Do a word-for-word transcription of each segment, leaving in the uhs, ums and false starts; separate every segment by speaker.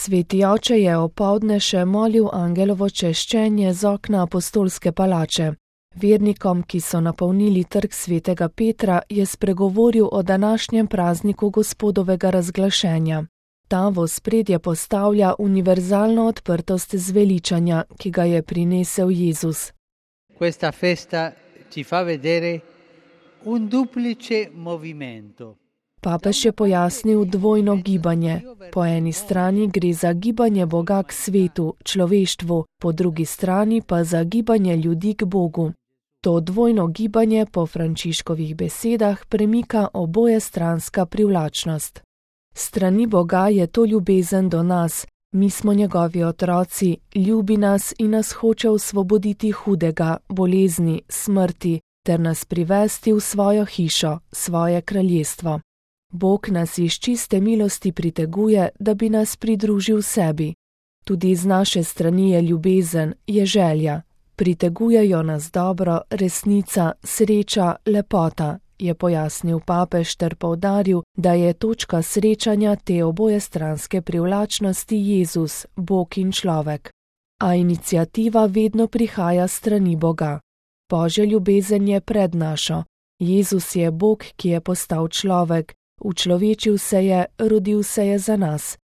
Speaker 1: Sveti oče je opoldne še molil angelovo češčenje z okna apostolske palače. Vernikom, ki so napolnili trg svetega Petra, je spregovoril o današnjem prazniku Gospodovega razglašenja. Ta v ospredje postavlja univerzalno odprtost zveličanja, ki ga je prinesel Jezus.
Speaker 2: Questa festa ci fa vedere un duplice movimento.
Speaker 1: Papež je pojasnil dvojno gibanje. Po eni strani gre za gibanje Boga k svetu, človeštvu, po drugi strani pa za gibanje ljudi k Bogu. To dvojno gibanje po Frančiškovih besedah premika obojestranska privlačnost. Strani Boga je to ljubezen do nas, mi smo njegovi otroci, ljubi nas in nas hoče osvoboditi hudega, bolezni, smrti, ter nas privesti v svojo hišo, svoje kraljestvo. Bog nas iz čiste milosti priteguje, da bi nas pridružil sebi. Tudi z naše strani je ljubezen, je želja. Pritegujejo nas dobro, resnica, sreča, lepota, je pojasnil papež ter poudaril, da je točka srečanja te obojestranske privlačnosti Jezus, Bog in človek. A iniciativa vedno prihaja s strani Boga. Božja ljubezen je pred našo. Jezus je Bog, ki je postal človek. Učlovečil se je, rodil se je za nas.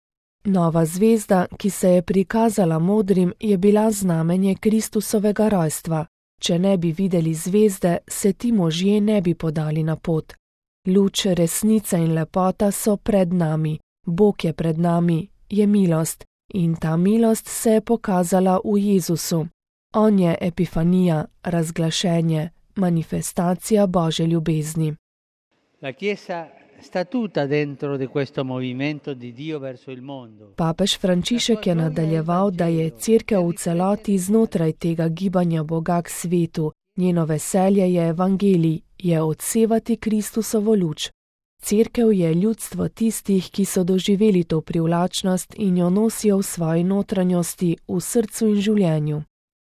Speaker 1: Nova zvezda, ki se je prikazala modrim, je bila znamenje Kristusovega rojstva. Če ne bi videli zvezde, se ti možje ne bi podali na pot. Luč, resnica in lepota so pred nami. Bog je pred nami, je milost. In ta milost se je pokazala v Jezusu. On je epifanija, razglašenje, manifestacija Božje ljubezni.
Speaker 2: La Chiesa sta tutta dentro di questo movimento di Dio verso il mondo.
Speaker 1: Papež Frančišek je nadaljeval, da je Cerkev v celoti znotraj tega gibanja Boga k svetu. Njeno veselje je evangelij, je odsevati Kristusovo luč. Cerkev je ljudstvo tistih, ki so doživeli to privlačnost in jo nosijo v svoji notranjosti, v srcu in življenju.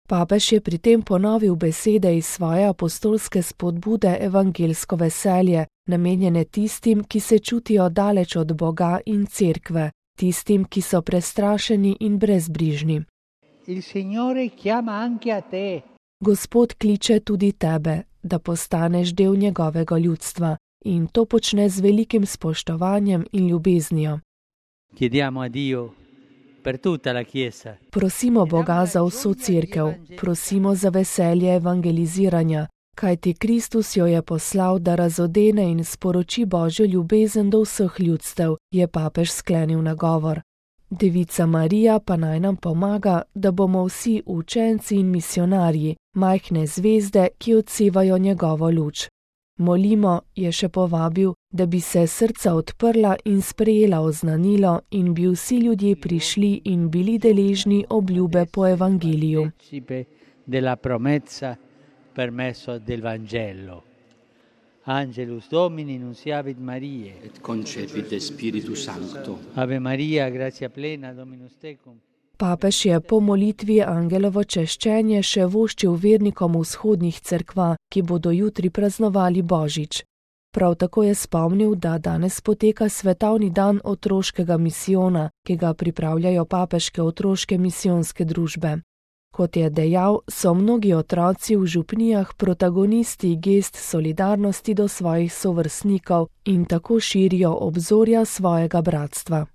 Speaker 1: Papež je pri tem ponovil besede iz svoje apostolske spodbude evangelsko veselje, namenjene tistim, ki se čutijo daleč od Boga in Cerkve, tistim, ki so prestrašeni in brezbrižni.
Speaker 2: Il Signore chiama anche a te.
Speaker 1: Gospod kliče tudi tebe, da postaneš del njegovega ljudstva, in to počne z velikim spoštovanjem in ljubeznijo.
Speaker 2: Chiediamo a Dio per tutta la Chiesa.
Speaker 1: Prosimo Boga za vso Cerkev, prosimo za veselje evangeliziranja, kajti Kristus jo je poslal, da razodene in sporoči Božjo ljubezen do vseh ljudstev, je papež sklenil nagovor. Devica Marija pa naj nam pomaga, da bomo vsi učenci in misionarji, majhne zvezde, ki odsevajo njegovo luč. Molimo, je še povabil, da bi se srca odprla in sprejela oznanilo in bi vsi ljudje prišli in bili deležni obljube po evangeliju.
Speaker 2: Della promessa per messo del Vangelo. Angelus Domini nunciavit Mariae
Speaker 3: et concepit Spiritus Sancto.
Speaker 2: Ave Maria, gratia plena, Dominus tecum.
Speaker 1: Papež je po molitvi angelovo češčenje še voščil vernikom vzhodnih cerkva, ki bodo jutri praznovali Božič. Prav tako je spomnil, da danes poteka svetovni dan otroškega misijona, ki ga pripravljajo papeške otroške misijonske družbe. Kot je dejal, so mnogi otroci v župnijah protagonisti gest solidarnosti do svojih sovrstnikov in tako širijo obzorja svojega bratstva.